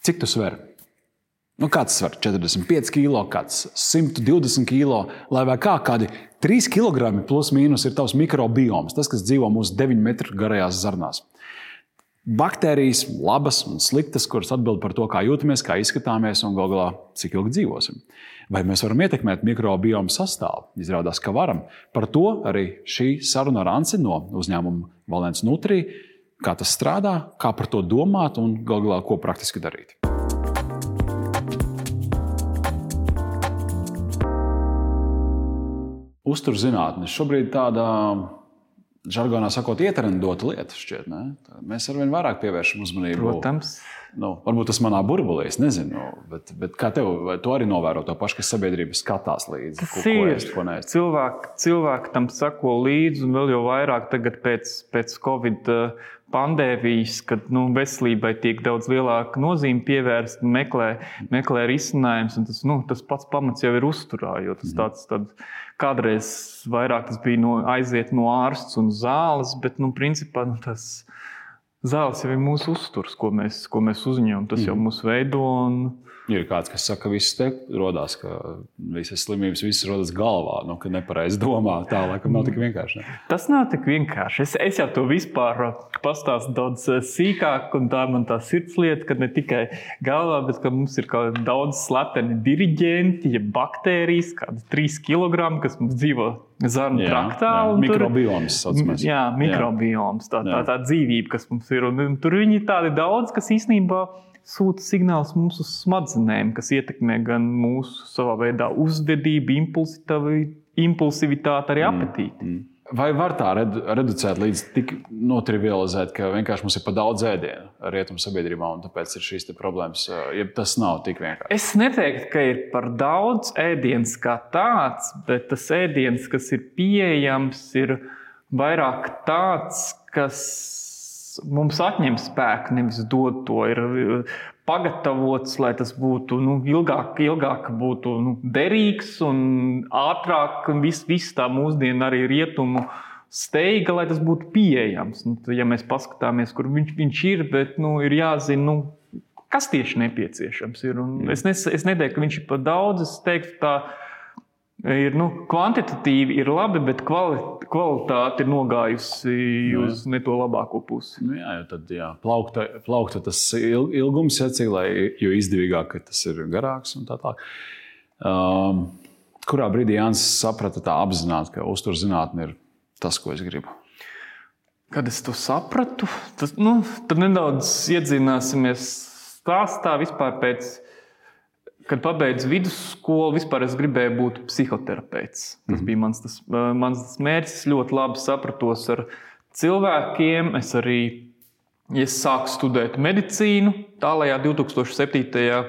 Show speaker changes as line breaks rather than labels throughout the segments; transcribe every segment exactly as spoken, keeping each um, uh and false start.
cik tu sver? Nu, kāds sver četrdesmit pieci kilo, kāds simt divdesmit kilo, lai vai kā kādi trīs kilogrami plus mīnus ir tavs mikrobioms, tas, kas dzīvo mūsu deviņu metru garajās zarnās. Baktērijas, labas un sliktas, kuras atbild par to, kā jūtamies, kā izskatāmies un gal galā, cik ilgi dzīvosim. Vai mēs varam ietekmēt mikrobiomu sastāvu? Izrādās, ka varam. Par to arī šī saruna ar Anci no uzņēmuma Valens Nutri, kā tas strādā, kā par to domāt un gal galā, ko praktiski darīt. Uzturzinātne šobrīd tāda, žargonā sakot, ietrendota lieta šķiet, ne? Mēs arvien vairāk pievēršam uzmanību.
Protams.
Nu, varbūt tas manā burbulī, es nezinu, bet, bet kā tev, vai tu arī novēro to pašu, kas sabiedrība skatās līdzi?
Tas
ko, ko
ir.
ēst, ko neēst?
Cilvēki, cilvēki tam sako līdzi un vēl jau vairāk tagad pēc, pēc Covid pandēmijas, kad nu, veselībai tiek daudz lielāka nozīme pievērst, meklē, meklē risinājums, un tas, nu, tas pats pamats jau ir uzturā, jo tas tāds, tāds kādreiz vairāk tas bija no, aiziet no ārsts un zāles, bet, nu, principā, nu, tas zāles jau ir mūsu uzturs, ko mēs, ko mēs uzņemam, tas jau mūs veido un...
Ir kāds, kas saka, ka viss te rodās, ka visas slimības visas rodas galvā, nu, ka nepareizi domā, tā laikam nav tik vienkārši. Ne?
Tas nav tik vienkārši. Es, es jau to vispār pastāstu daudz sīkāk, un tā man tā sirdslieta, ka ne tikai galvā, bet ka mums ir daudz slepeni diriģenti, ja baktērijas, kādas trīs kilogrami, kas mums dzīvo zarnu traktā.
Jā,
un
mikrobioms,
tur,
saucamais.
Jā, mikrobioms, tā, tā, tā dzīvība, kas mums ir. Un, un tur viņi tādi daudz, kas īstenībā sūta signāls mums uz smadzenēm, kas ietekmē gan mūsu savā veidā uzvedību, impulsivitāti, arī apetīti. Mm, mm.
Vai var tā redu, reducēt līdz tik notrivializēt, ka vienkārši mums ir pa daudz ēdienu rietumu sabiedrībā un tāpēc ir šīs te problēmas, ja tas nav tik vienkārši?
Es neteiktu, ka ir par daudz ēdienas kā tāds, bet tas ēdiens, kas ir pieejams, ir vairāk tāds, kas mums atņem spēku, nevis dod to, ir pagatavots, lai tas būtu nu, ilgāk, ilgāk būtu nu, derīgs un ātrāk, un viss vis tā mūsdienu arī rietumu steiga, lai tas būtu pieejams. Nu, ja mēs paskatāmies, kur viņš, viņš ir, bet nu, ir jāzina, nu, kas tieši nepieciešams ir. Un es, nes, es neteiktu, ka viņš ir par daudz, es teiktu tā, ir, nu, kvantitatīvi ir labi, bet kvalitāte ir nogājusi uz ne to labāko pusi.
Nu jā, jo tad jā, plaukta, plaukta tas ilgums, ja, cik, lai, jo izdevīgāk, ka tas ir garāks un tā tā. Um, kurā brīdī Jānis saprata tā apzināti, ka uzturzinātne ir tas, ko es gribu?
Kad es to sapratu, tas, nu, tad nedaudz iedzināsimies stāstā vispār pēc... Kad pabeidzu vidusskolu, vispār es gribēju būt psihoterapeits. Tas mm-hmm. bija mans, tas, mans mērķis. Es ļoti labi sapratos ar cilvēkiem. Es arī es sāku studēt medicīnu. Tālajā divtūkstoš septītajā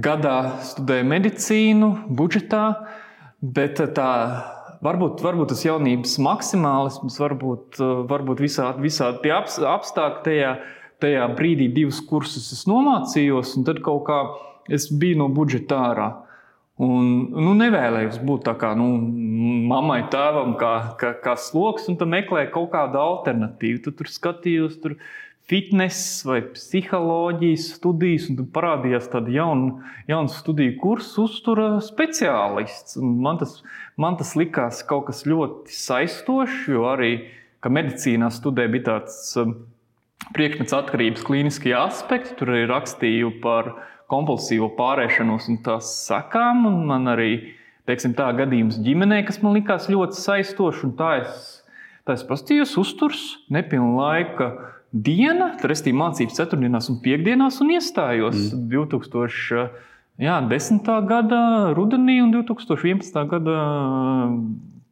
gadā studēju medicīnu budžetā, bet tā, varbūt, varbūt tas jaunības maksimālisms, varbūt, varbūt visādi, visādi tie apstākļi tajā, tajā brīdī divus kursus es nomācījos, un tad kaut kā es biju no budžeta ārā un nu, nevēlējos būt tā kā nu, mammai, tēvam, kā, kā, kā sloks, un tad meklēju kaut kādu alternatīvu. Tad tur skatījos tur fitness vai psiholoģijas studijas, un tad parādījās tāda jauna, jauna studiju kursa uztura speciālists. Un man, tas, man tas likās kaut kas ļoti saistošs, jo arī, ka medicīnā studē bija tāds priekšmets atkarības klīniskie aspekti, tur arī rakstīju par kompulsīvo pārēšanos un tās sekām, un man arī, teiksim tā, gadījums ģimenē, kas man likās ļoti saistoši, un tā es, tā es pastījos uzturs, nepilna laika diena, restīvi mācības ceturtdienās un piekdienās, un iestājos mm. divtūkstoš desmitā gada rudenī un divtūkstoš vienpadsmitā gada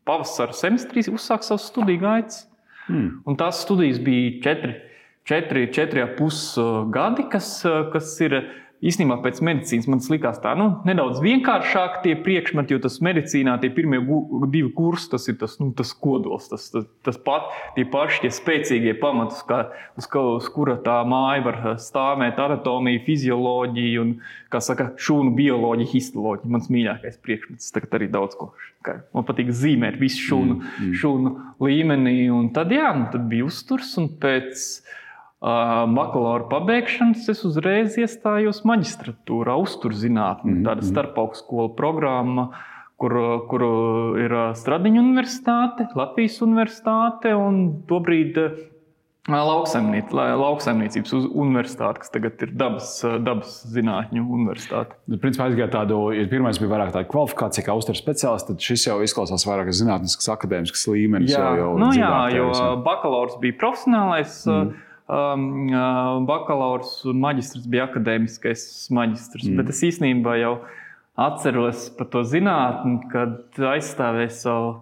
pavasara semestrī uzsāk savus studiju gaitas. Mm. Un tās studijas bija četri, četri, četri ap pus gadi, kas, kas ir īstenībā pēc medicīnas man tas likās tā, nu, nedaudz vienkāršāk tie priekšmeti, jo tas medicīnā tie pirmie gu, divi kursi, tas ir tas, nu, tas kodols, tas, tas, tas pat, tie paši, tie spēcīgie pamatus, kā, uz, uz kura tā māja var stāvēt anatomija, fizioloģija un, kā saka, šūnu bioloģija, histoloģija. Mans mīļākais priekšmets, tagad arī daudz ko. Man patīk zīmēt visu šūnu, mm, mm. šūnu līmenī, un tad, jā, nu, tad bija uzturs, un pēc bakalaura pabeigšanas es uzreiz iestājos maģistratūrā, uzturzinātnē, mm-hmm. tāda starpaugstskola programma, kur, kur ir Stradiņu universitāte, Latvijas universitāte un tobrīd lauksaimniec, lauksaimniecības universitāte, kas tagad ir dabas, dabas zinātņu universitāte.
Principā aizgāja tādu, ja pirmais bija vairāk tāda kvalifikācija kā uzturs speciālists, tad šis jau izklausās vairāk zinātnisks, akadēmisks līmenis.
Jā,
jau, jau
nu jā, jo
tevis,
bakalaurs bija profesionālais, mm. um, bakalaurs un maģistrs bija akadēmiskais maģistrs, mm. bet es īstenībā jau atceros par to zinātni, kad aizstāvēju savu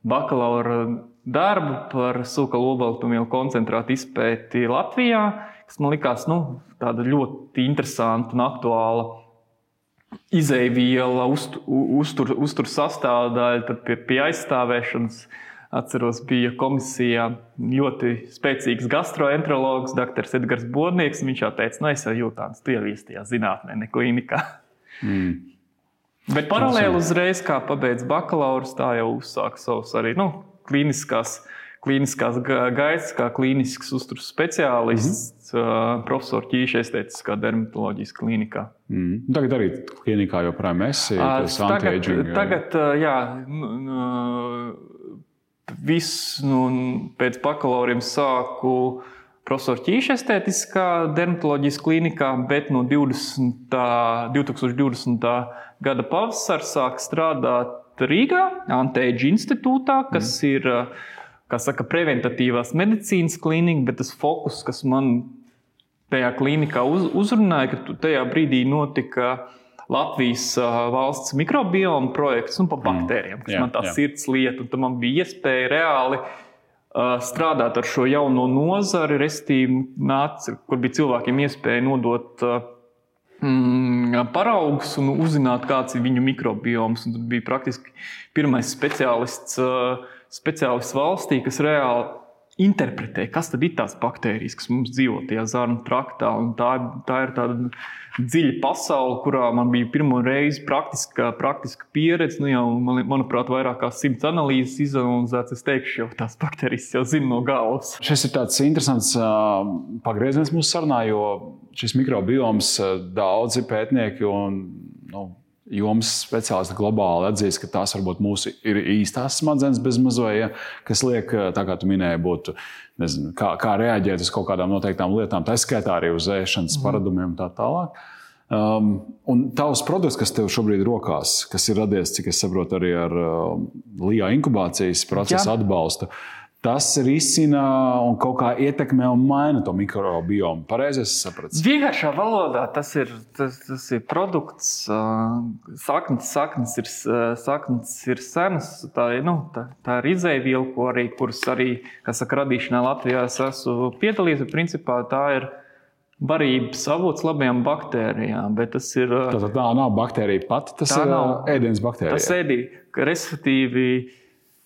bakalaura darbu par sūkalu olbaltumvielu koncentrātu izpēti Latvijā, kas man likās nu, tāda ļoti interesanta un aktuāla izejviela, uztur, uztur, uztur sastāvdaļa. Tad pie, pie aizstāvēšanas, atceros, bija komisijā ļoti spēcīgs gastroenterologs, doktors Edgars Bodnieks. Viņš jau teica, nu es jau jūtāns, tu jau ies tajā zinātnē, ne klīnikā. Mm. Bet paralēli uzreiz, kā pabeidz bakalaurs, tā jau uzsāk savus arī nu, klīniskās, klīniskās gaitas, kā klīnisks uzturs speciālists, mm-hmm. profesors Ķīša estētiskā dermatoloģijas klīnikā.
Mm. Tagad arī klīnikā joprojām esi, tas anti-aging.
Tagad, tagad jā, viss nu, pēc bakalauriem sāku profesora Ķīša estētiskā dermatoloģijas klīnikā, bet no divtūkstoš divdesmitā gada pavasara sāk strādāt Rīgā, Anti-Aging institūtā, kas mm. ir, kā saka, preventatīvās medicīnas klīnika, bet tas fokus, kas man tajā klīnikā uz, uzrunāja, ka tajā brīdī notika Latvijas valsts mikrobioma projekts un pa baktērijām, kas mm. man tā jā. Sirds lieta, un tad man bija iespēja reāli strādāt ar šo jauno nozari, restīvi nāca, kur bija cilvēkiem iespēja nodot mm, paraugus un uzzināt, kāds ir viņu mikrobioms. Un tad bija praktiski pirmais speciālists, speciālists valstī, kas reāli interpretē, kas tad ir tās baktērijas, kas mums dzīvo tajā zarnu traktā. Un tā, tā ir tāda dziļa pasaule, kurā man bija pirmo reizi praktiska, praktiska pieredze. Nu jau, man, manuprāt, vairāk kā simts analīzes izanalizēts. Es teikšu, jau tās baktērijas jau zinu no galvas.
Šis ir tāds interesants uh, pagrieziens mūsu sarunā, jo šis mikrobioms uh, daudzi pētnieki un nu, jomas speciālisti globāli atzīst, ka tās varbūt mūsu ir īstās smadzenes bez mazoja, ja, kas liek, tā kā tu minēji, būtu, nezinu, kā, kā reaģēt uz kaut kādām noteiktām lietām, tā skaitā arī uz ēšanas mm. paradumiem un tā tālāk. Um, un tavs produkts, kas tev šobrīd rokās, kas ir radies, cik es saprotu, arī ar uh, Lijā inkubācijas procesa atbalstu, tas risina un kaut kā ietekmē un maina to mikrobiomu. Pareizi es sapratu?
Vienkāršā valodā tas ir, tas, tas ir produkts, saknes, saknes, ir, saknes ir senas, tā, nu, tā, tā ir izejviela, ko arī, kuras arī, kā saka, radīšanā Latvijā es esmu piedalījies, bet principā tā ir barības avots labajām baktērijām, bet tas ir...
Tātad tā nav baktērija pati, tas ir ēdienas baktērija.
Tas ēdī, respektīvi,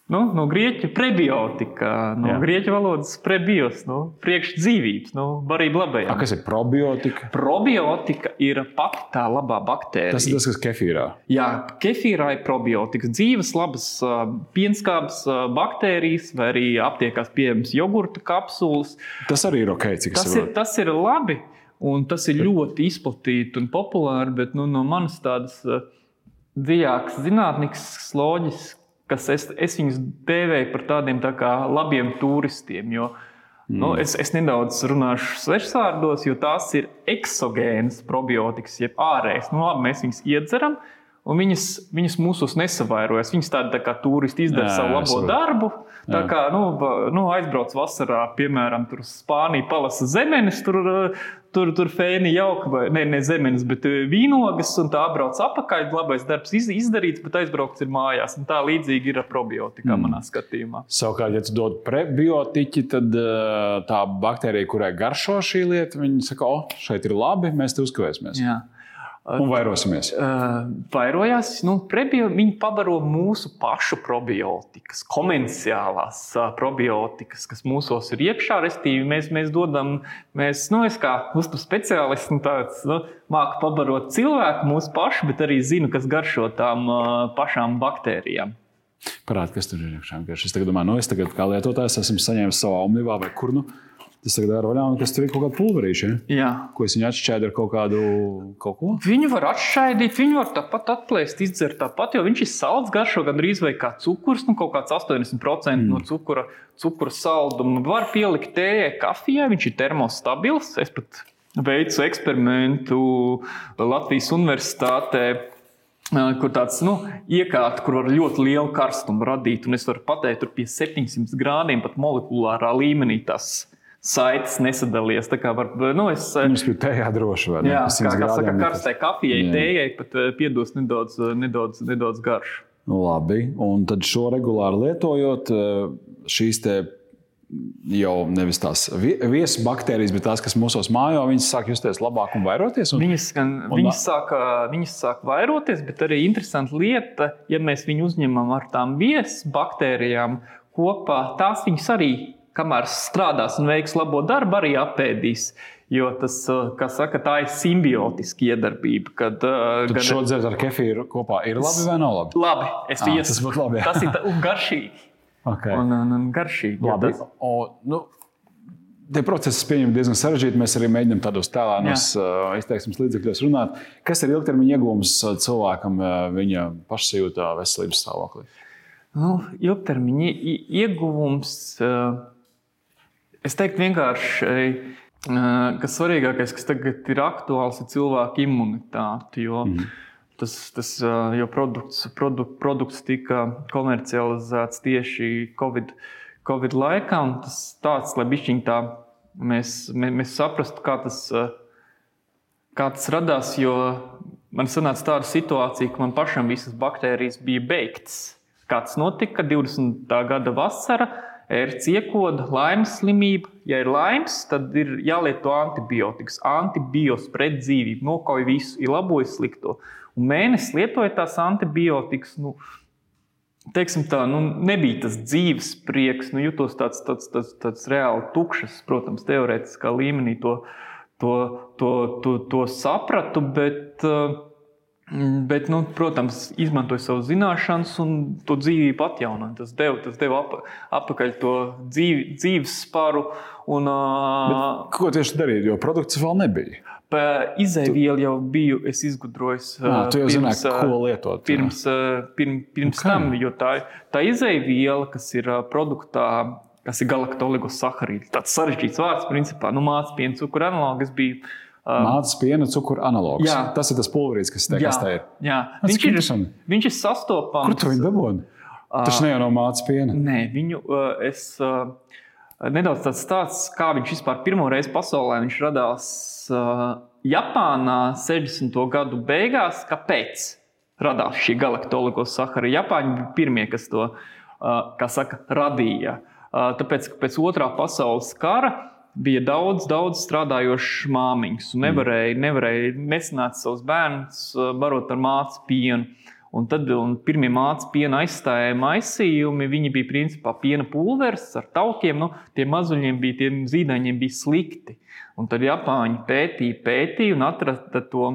nu, no grieķu prebiotika, no Jā. Grieķu valodas prebios, nu, priekšdzīvības, nu, barība labajām.
A, kas ir probiotika?
Probiotika ir pati tā labā baktērija.
Tas ir tas, kas kefīrā? Jā,
kefīrā ir probiotikas, dzīves, labas pienskābes baktērijas, vai arī aptiekās pieejams jogurta kapsulas.
Tas arī ir ok, cik es
tas ir, tas ir labi, un tas ir ļoti izplatīti un populāri, bet nu, no manas tādas dziļākas zinātniskas loģiskas, kas es, es viņus dēvēju par tādiem tā kā labiem turistiem, jo mm. nu, es, es nedaudz runāšu svešvārdos, jo tās ir eksogēnas probiotikas, jeb ārējas. Nu, labi, mēs viņus iedzeram, un viņas, viņas mūsos nesavairojas. Viņas tādi tā kā turisti izdara jā, savu labo jā. Darbu. Tā kā nu, nu, aizbrauc vasarā, piemēram, tur Spānija palasa zemenes, tur, tur, tur fēni jauka, vai ne, ne zemenes, bet vīnogas, un tā apbrauc apakaļ, labais darbs izdarīts, bet aizbraukts ir mājās. Un tā līdzīgi ir ar probiotikā mm. manā skatījumā.
Savukārt, ja tu dod prebiotiķi, tad tā baktērija, kurai garšo šī lieta, viņi saka, o, šeit ir labi, mēs te uzkavēsimies. Jā. Un vairosimies.
Uh, vairojās, nu, prebio, viņi pabaro mūsu pašu probiotikas, komerciālās uh, probiotikas, kas mūsos ir iekšā, restīvi mēs, mēs dodam, mēs, nu, es kā uzturu speciālists, nu, tāds, nu, māku pabarot cilvēku mūsu pašu, bet arī zinu, kas garšo tām uh, pašām baktērijām.
Parādi, kas tur ir iekšā. Es tagad domāju, nu, es tagad kā lietotājs esmu saņēmis savā omnivā vai kur nu. Tas tagad ir vaļā, un kas tur ir kaut kāda pulverīša, ja?
Jā.
Ko es viņu atšķēdu ar kaut kādu kaut ko?
Viņu var atšķaidīt, viņu var tāpat atplēst, izdzert tāpat, jo viņš ir salds garšo gandrīz vai kā cukurs, nu kaut kāds astoņdesmit procenti mm. no cukura, cukura salduma. Var pielikt tējai, kafijai, viņš ir termostabils. Es pat veicu eksperimentu Latvijas universitātē, kur tāds, nu, iekārta, kur var ļoti lielu karstumu radīt, un es varu pateikt, tur pie septiņsimt grādiem pat molekulārā līmenī tas saites nesadalies. Tā kā var, nu, es...
Jums bija tējā droši, vai ne?
Jā, kā, kā saka, karstai kafijai, tējai pat piedos nedaudz, nedaudz, nedaudz garšu.
Labi, un tad šo regulāri lietojot, šīs te jau nevis tās viesas baktērijas, bet tās, kas mūsos mājo, viņas sāk justies labāk un vairoties? Un,
viņas, gan,
un,
viņas, sāk, viņas sāk vairoties, bet arī interesanta lieta, ja mēs viņu uzņemam ar tām viesas baktērijām kopā, tās viņas arī kamēr strādās un veiks labo darbu, arī apēdīs. Jo tas, kā saka, tā ir simbiotiska iedarbība. Kad,
Tad
gan...
šo dzert ar kefīru kopā ir labi vai nav labi?
Labi. Es
à,
ies...
tas būtu labi, jā.
Tas ir un garšīgi.
Okay.
Un, un, un garšīgi.
Labi.
Tas...
O, nu, tie procesi pieņem diezgan sarežģīti. Mēs arī mēģinām tādos tēlānos uh, izteiksmes līdzekļos runāt. Kas ir ilgtermiņa ieguvums cilvēkam uh, viņa pašsajūtā veselības stāvoklī?
Nu, ilgtermiņa ieguvums... Uh... Es teiktu vienkārši, ka svarīgākais, kas tagad ir aktuāls, ir cilvēka imunitāte, jo, mm. tas, tas, jo produkts, produkt, produkts tika komercializēts tieši COVID, COVID laikā, un tas tāds, lai bišķiņ tā mēs, mēs saprastu, kā tas, kā tas radās, jo man sanāca tāda situācija, ka man pašam visas baktērijas bija beigtas. Kā tas notika, divdesmitā gada vasara, ērts iekoda, laimes slimība. Ja ir laimes, tad ir jālieto antibiotikas. Antibios pret dzīvību, nokauj visu, ir labojas slikto. Un mēnesis lietoja tās antibiotikas, nu, teiksim tā, nu, nebija tas dzīves prieks, nu, jutos tāds, tāds, tāds, tāds reāli tukšas, protams, teorētiskā līmenī to, to, to, to, to sapratu, bet... Bet, nu, protams, izmantoja savu zināšanas un to dzīvību atjaunoja. Tas deva, tas deva ap, apakaļ to dzīvi, dzīves sparu. Un,
bet, ko tieši darīt, jo produkts vēl nebija?
Izēvielu jau biju es izgudrojis.
Nā, tu jau pirms, zināji, ko lietot.
Pirms, pirms, pirms okay. tam, jo tā, tā izēviela, kas ir produktā, kas ir galaktoligossaharīdi. Tāds sarežģīts vārds, principā, nu, māc piena cukura analogs bija.
Mātes piena cukura analogs. Jā. Tas ir tas pulverīts, kas te,
jā,
kas te ir.
Jā. Viņš ir, viņš ir sastopams.
Kur tu viņu dabūni? Tas ne jau nav mātes piena.
Nē, viņu es nedaudz tāds stāsts, kā viņš vispār pirmo reizi pasaulē viņš radās Japānā sešdesmito gadu beigās. Kāpēc radās šī galaktoligossaharīdi? Japāņi bija pirmie, kas to, kā saka, radīja. Tāpēc, ka pēc otrā pasaules kara bija daudz, daudz strādājošas māmiņas un nevarēja, nevarēja nesanāt savus bērnus barot ar mātes pienu. Un tad un pirmie mātes piena aizstājēja maisījumi, viņi bija principā piena pulveris ar taukiem, nu, tie mazuļiem bija, tiem zīdaiņiem bija slikti. Un tad Japāņi pētīja, pētīja un atrada to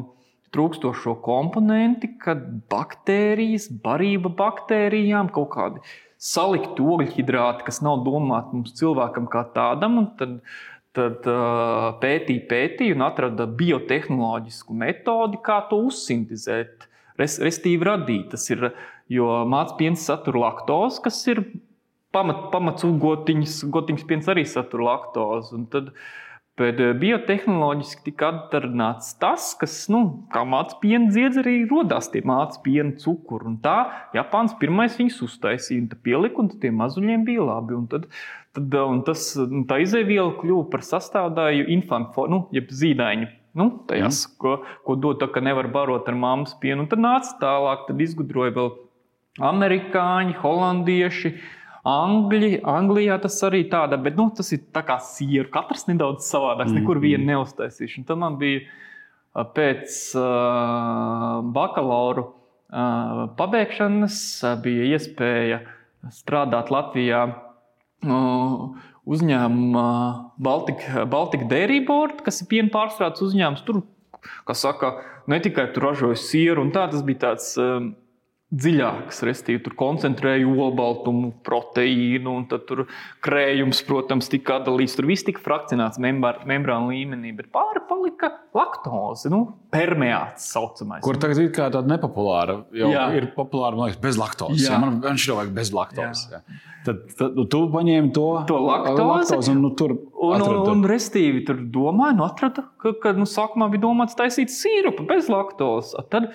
trūkstošo komponenti, kad baktērijas, barība baktērijām, kaut kādi salikti ogļhidrāti, kas nav domāti mums cilvēkam kā tādam, un tad, tad uh, pētīja, pētīja un atrada biotehnoloģisku metodi, kā to uzsintizēt, res, restīvi radīt. Tas ir, jo mātes piens satur laktozi, kas ir pamat, pamats gotiņas, gotiņas piens arī satur laktozi, un tad bet biotehnoloģiski tika atdarināts tas, kas, nu, kā mātes piena dziedz arī rodās tie mātes piena cukuri. Un tā Japāns pirmais viņus uztaisīja, un tā pielika, un tie mazuļiem bija labi. Un tad, tad un tas, un tā izēviela kļuva par sastāvdaļu infantu, nu, jeb zīdaiņu. Nu, tajās, mm. ko, ko dod tā, ka nevar barot ar mammas pienu. Un tad nāca tālāk, tad izgudroja vēl amerikāņi, holandieši, Angļi, Anglijā tas arī tāda, bet nu, tas ir tā kā sieru. Katrs nedaudz savādāks, mm, nekur vienu neuztaisīšu. Un tad man bija pēc uh, bakalauru uh, pabeigšanas uh, bija iespēja strādāt Latvijā uh, uzņēmumā Baltika, Baltika Dairy Board, kas ir piena pārstrādes uzņēmums. Tur, kā saka, ne tikai tur ražoja sieru un tā, tas bija tāds... Uh, dziļākas, restīvi tur koncentrēju olbaltumu, proteīnu, un tad tur krējums, protams, tika atdalīts. Tur viss tika frakcionēts membrānu līmenī, bet pāri palika laktoze, nu, permeāts saucamais.
Kur tagad ir kā tāda nepopulāra, jau jā. Ir populāra, man liekas, bez laktozes. Jā. Man, man šķiet, vajag bez laktozes. Jā. Jā. Tad, tad tu paņēmi to,
to laktozi,
laktozi un nu, tur
un, un, un restīvi tur domāju, nu atrada, ka, ka nu, sākumā bija domāts taisīt sīrupu bez laktozes. Tad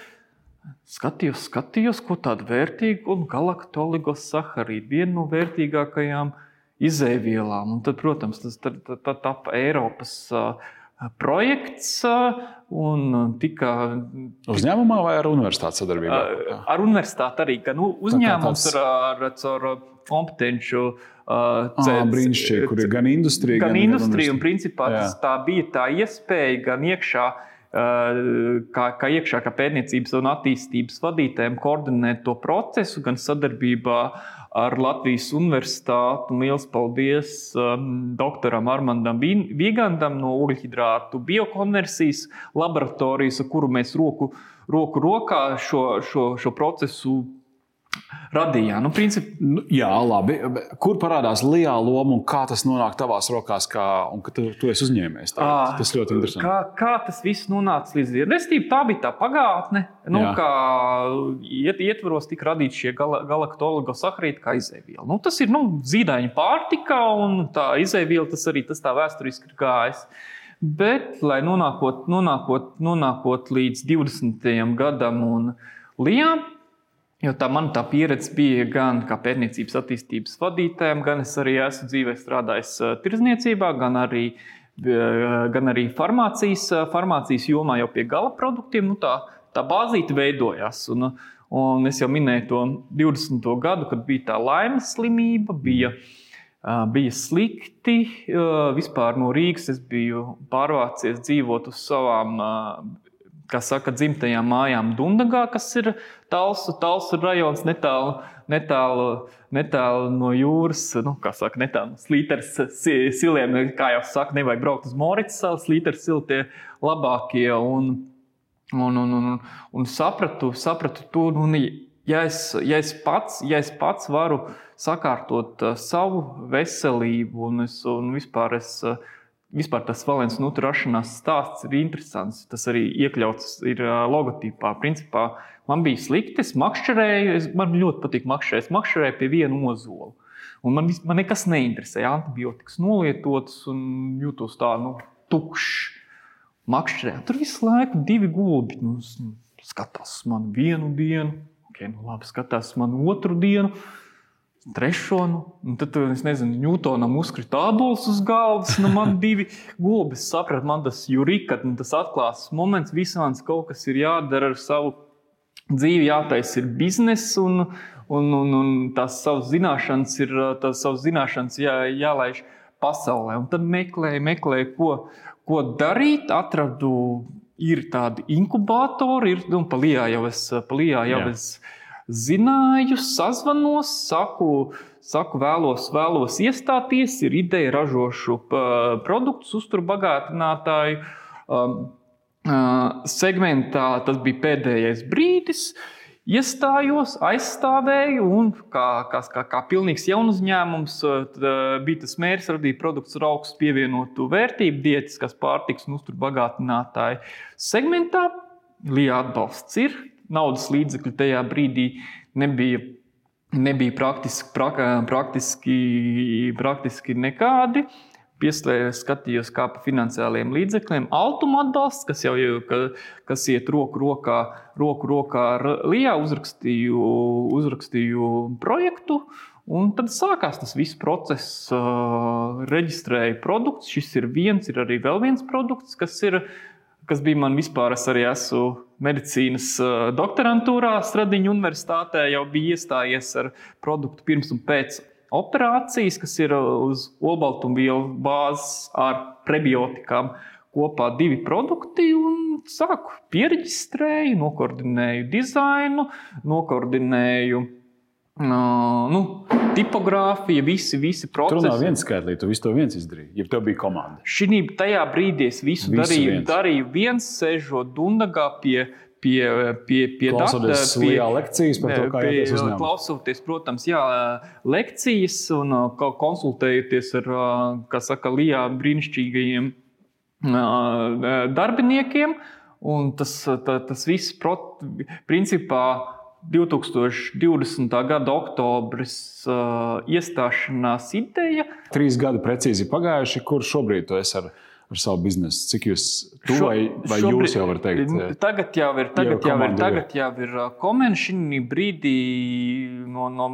skatījos, skatījos, ko tādu vērtīgu un galaktoligossaharīdu, vienu no vērtīgākajām izēvielām. Un tad, protams, tas tad, tad, tad tapa Eiropas uh, projekts uh, un tika...
Uzņēmumā vai ar universitātes sadarbībā?
Uh, ar universitāti arī, ka nu, uzņēmums tāds... ar, ar, ar kompetenču uh,
ah, brīnišķīgi, kur ir gan industrija,
gan, gan industrija. Un principā tas, tā bija tā iespēja gan iekšā, Kā, kā iekšā, kā pētniecības un attīstības vadītājiem koordinēt to procesu, gan sadarbībā ar Latvijas universitāti. Un liels paldies um, doktoram Armandam Vigandam no ogļhidrātu biokonversijas laboratorijas, ar kuru mēs roku, roku rokā šo, šo, šo procesu radījām. Nu, princip...
nu, jā, labi. Kur parādās Lijā loma un kā tas nonāk tavās rokās, kā, un ka tu, tu esi uzņēmējs? Tā, à, tas ļoti interesanti.
Kā, kā tas viss nonāca līdz dienai? Restīvi, tā bija tā pagātne, nu, kā iet, ietvaros tika radīti šie gal, galaktoligossaharīdi kā izēviela. Nu, tas ir nu, zīdaiņu pārtika, un tā izēviela tas arī tas tā vēsturiski ir gājis. Bet, lai nonākot, nonākot, nonākot līdz divdesmitajam gadam un Lijā, jo tā man tā pieredze bija gan kā pētniecības attīstības vadītājiem, gan es arī esmu dzīvē strādājis tirdzniecībā, gan arī, gan arī farmācijas, farmācijas jomā jau pie gala produktiem. Nu, tā, tā bāzīte veidojās. Un, un es jau minēju to divdesmito gadu, kad bija tā laimes slimība, bija, bija slikti. Vispār no Rīgas es biju pārvācies dzīvot uz savām kā saka, dzimtajām mājām Dundagā, kas ir Talsu, Talsu rajons, netālu, netālu, netālu no jūras, nu, kā saka, netālu no Slīteres siliem, kā jau saka, nevajag braukt uz Moricas salu, Slīteres sili tie labākie, un, un, un, un, un sapratu, sapratu to, un, ja es, ja es pats, ja es pats varu sakārtot savu veselību, un, es, un vispār es Vispār tas Valens Nutra rašanās stāsts ir interesants. Tas arī iekļauts ir logotipā. Principā man bija slikti, es makšķerēju, es, man ļoti patīk makšķerēt, es makšķerēju pie vienu ozolu. Un man, man nekas neinteresēja, antibiotikas nolietotas un jūtos tā, nu, tukšs. Makšķerēju, tur visu laiku divi gulbi, nu, skatās man vienu dienu, ok, nu labi, skatās man otru dienu, trešo, nu, un tad, es nezinu, Ņūtonam uzkrita ābols uz galvas, nu, man divi gulbi, es sapratu, man tas jurikat, un tas atklās moments, visāds kaut kas ir jādara ar savu dzīvi, jātais ir biznes, un, un, un, un tās savas zināšanas ir, tās savas zināšanas jā, jālaiž pasaulē. Un tad meklēju, meklēju, ko, ko darīt, atradu, ir tādi inkubātori, ir, un pa Lijā jau es, pa Lijā jau es zināju, sazvanos, saku, saku vēlos, vēlos iestāties, ir ideja ražošu produktus, uzturbagātinātāju um, uh, segmentā. Tas bija pēdējais brīdis. Iestājos, aizstāvēju un kā, kā, kā, kā pilnīgs jaunuzņēmums bija tas mērķis radīt produktus ar augstu pievienotu vērtību, diētiskās pārtikas un uzturbagātinātāju segmentā. Lijā atbalsts ir. Naudas līdzekļu tajā brīdī nebija, nebija praktiski, pra, praktiski, praktiski nekādi. Pieslēdzu, skatījos kā pa finansiāliem līdzekļiem. Altuma atbalsts, kas jau kas iet roku rokā, roku rokā ar Lijā, uzrakstīju, uzrakstīju projektu. Un tad sākās tas viss process, uh, reģistrēju produkts. Šis ir viens, ir arī vēl viens produkts, kas ir kas bija man vispār, es arī esmu medicīnas doktorantūrā Stradiņu universitātē, jau bija iestājies ar produktu pirms un pēc operācijas, kas ir uz olbaltumvielu bāzes ar prebiotikām kopā divi produkti, un sāku piereģistrēju, nokoordinēju dizainu, nokoordinēju Uh, nu, tipogrāfija, visi, visi procesi.
Tur nav viens skaitlī, tu visu to viens izdarīji, ja tev bija komanda.
Šī tajā brīdī es visu, visu darīju, viens. darīju viens, sēžot Dundagā pie, pie, pie, pie
klausoties
data, pie,
lekcijas par to, kā jāties uzņēmumā.
Klausoties, protams, jā, lekcijas un konsultējoties ar, kā saka, Lijā brīnišķīgajiem darbiniekiem. Un tas, tā, tas viss, principā, divtūkstoš divdesmitā gada oktobris uh, iestāšanās ideja.
Trīs gadi precīzi pagājuši, kur šobrīd tu esi ar, ar savu biznesu? Cik jūs tu Šo, vai, vai šobrīd, jūs jau var teikt?
Tagad jau ir, tagad jau ir, tagad jau ir komēni šī brīdī no, no,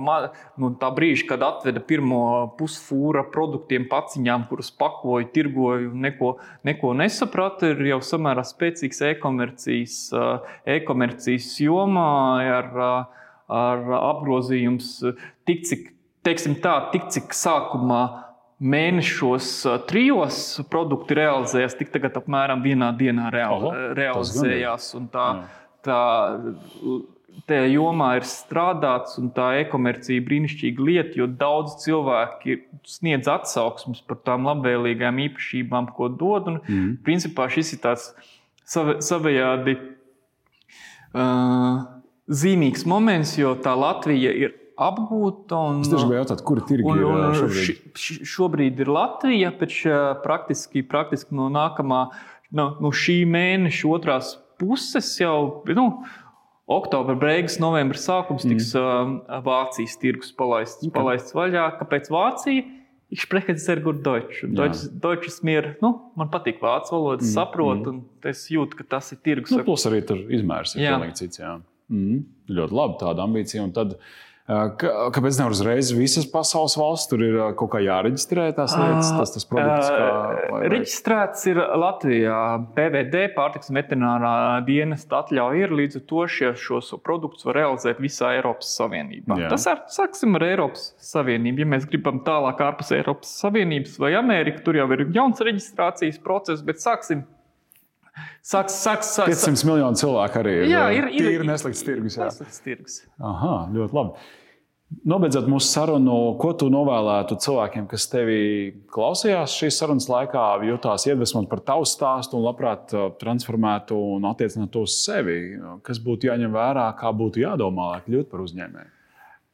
no tā brīža, kad atveda pirmo pusfūra produktiem paciņām, kurus pakoju, tirgoju, neko, neko nesapratu, ir jau samērā spēcīgs e-komercijas, e-komercijas jomā ar, ar apgrozījums tik, cik, teiksim tā, tik, cik sākumā mēnešos trijos produkti realizējās, tik tagad apmēram vienā dienā real, Oho, realizējās. Un tā, tā, tajā jomā ir strādāts un tā e-komercija brīnišķīga lieta, jo daudz cilvēki sniedz atsauksmes par tām labvēlīgām īpašībām, ko dod. Un, mm. principā šis ir tāds sav, savējādi uh, zīmīgs moments, jo tā Latvija ir apgūta. Un,
es tieši gribēju jautāt, kuri tirgi un, un, ir šobrīd?
Š, šobrīd ir Latvija, pēc praktiski, praktiski no nākamā, no, no šī mēneša otrās puses jau, nu, oktobra beigas, novembra sākums tiks mm. uh, Vācijas tirgus palaists, okay. palaists vaļā. Kāpēc Vācija? Ich spreche sehr gut Deutsch. Deutsch, Deutsch ist mir, nu, man patīk vācu valoda, mm. saprotu, mm. un es jūtu, ka tas ir tirgus.
Nu, plus arī tur izmērs ir pilnīgi cits, jā. Mm. Ļoti labi tāda ambicija, un tad kāpēc nevar uzreiz visas pasaules valsts? Tur ir kaut kā jāreģistrē tās lietas, tas, tas produkts? Kā, vai, vai?
Reģistrēts ir Latvijā. P V D, pārtiks un veterinārā dienesta atļauja ir, līdz ar to šie, šos produktus var realizēt visā Eiropas Savienībā. Jā. Tas ar, sāksim ar Eiropas Savienību. Ja mēs gribam tālāk ārpus Eiropas Savienības vai Ameriku, tur jau ir jauns reģistrācijas process, bet sāksim Sāks, sāks, sāks,
piecsimt miljonu cilvēku arī ir.
Jā, ir, ir,
ir neslikts tirgus. Jā.
Neslikts tirgus.
Aha, ļoti labi. Nobeidzot mūsu sarunu, ko tu novēlētu cilvēkiem, kas tevi klausījās šīs sarunas laikā, jutās iedvesmot par tavu stāstu un labprāt transformētu un attiecinātu to uz sevi? Kas būtu jāņem vērā, kā būtu jādomā, lai kļūtu par uzņēmēju?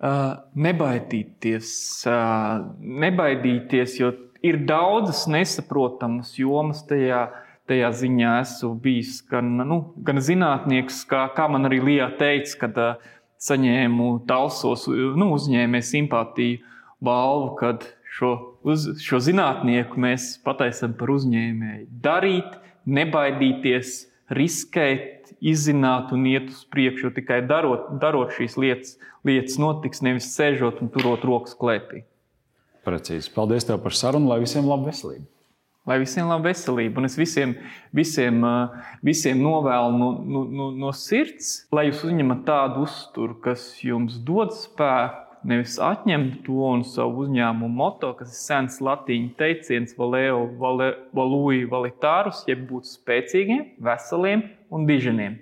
Uh, nebaidīties, uh, nebaidīties, jo ir daudzas nesaprotamas jomas tajā. Tajā ziņā esmu bijis gan, nu, gan zinātnieks, kā, kā man arī Lijā teica, kad uh, saņēmu Talsos nu, uzņēmēju simpātiju balvu, kad šo, uz, šo zinātnieku mēs pataisam par uzņēmēju. Darīt, nebaidīties, riskēt, izzināt un iet uz priekšu, jo tikai darot, darot šīs lietas, lietas notiks, nevis sēžot un turot rokas klēpī.
Precīzi. Paldies tev par sarunu, lai visiem laba veselība.
Lai visiem laba veselība. Un es visiem, visiem, visiem novēlu no, no, no sirds, lai jūs uzņemat tādu uzturu, kas jums dod spēku, nevis atņem to un savu uzņēmumu moto, kas ir sens latīņu teiciens valeo, vale, valui, valitārus, jeb būt spēcīgiem, veseliem un diženiem.